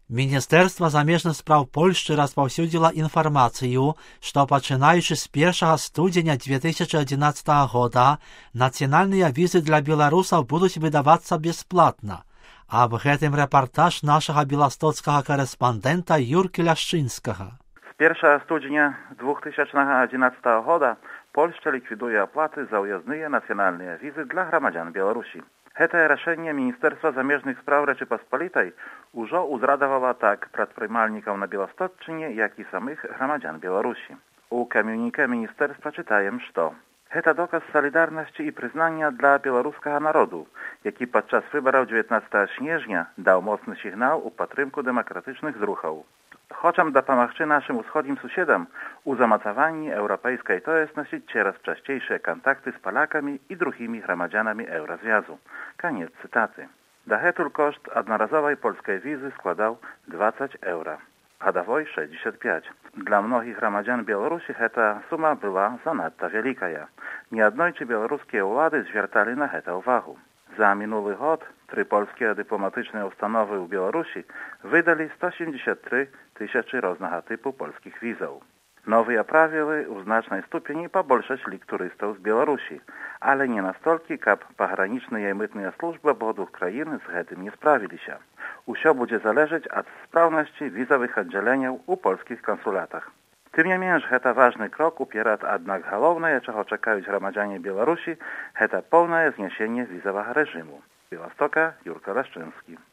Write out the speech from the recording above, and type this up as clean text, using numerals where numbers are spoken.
Міністерство замежных спраў Польшчы распаўсюдзіла інфармацыю, што пачынаючы з 1 студзеня 2011 года нацыянальныя візы для беларусаў будуць выдавацца бясплатна. Аб гэтым рэпартаж нашага беластоцкага корэспандэнта Юркі Ляшчынскага. З 1 студзеня 2011 года Польшча ліквідуе аплаты за ўязныя нацыянальныя візы для грамадзян Беларусі. Гэтае рашэнне Міністэрства замежных спраў Рэчы Паспалітай ужо ўзрадавала так прадпрымальнікаў на Беластотчыне, як і самых грамадзян Беларусі. У камюніке міністэрства чытаем, што гэта доказ салідарнасці і прызнання для беларускага народу, які падчас выбараў 19 снежня даў моцны сігнал у падтрымку дэмакратычных зрухаў. Хочам дапамагчы нашым усходнім суседам у замацаванні еўрапейскай тоеснасці цераз часцейшыя кантакты з палякамі і другімі грамадзянамі еўразвязу. Канец цытаты. Дагэтуль кошт аднаразовай польскай візы складаў 20 еўра, гадавой 65. Для многіх грамадзян Беларусі гэта сума была занадта вялікая. Неаднойчы беларускія ўлады звярталі на гэта ўвагу. За мінулы год 3 польскія дыпламатычныя установы ў Беларусі выдалі 173 тысячы рознага тыпу польскіх візаў. Новыя правілы ў значнай ступені пабольшаць лік турыстаў з Беларусі, але не настолькі, каб пагранічныя і мытныя службы абодвух краін з гэтым не справіліся. Усё будзе залежаць ад спраўнасці візавых аддзяленняў у польскіх кансулятах. Тым не менш, гэта важны крок уперад, аднак галоўнае, чаго чакаюць грамадзяне Беларусі, гэта поўнае знясенне візавага рэжыму. Беластока, Юрка Ляшчынскі.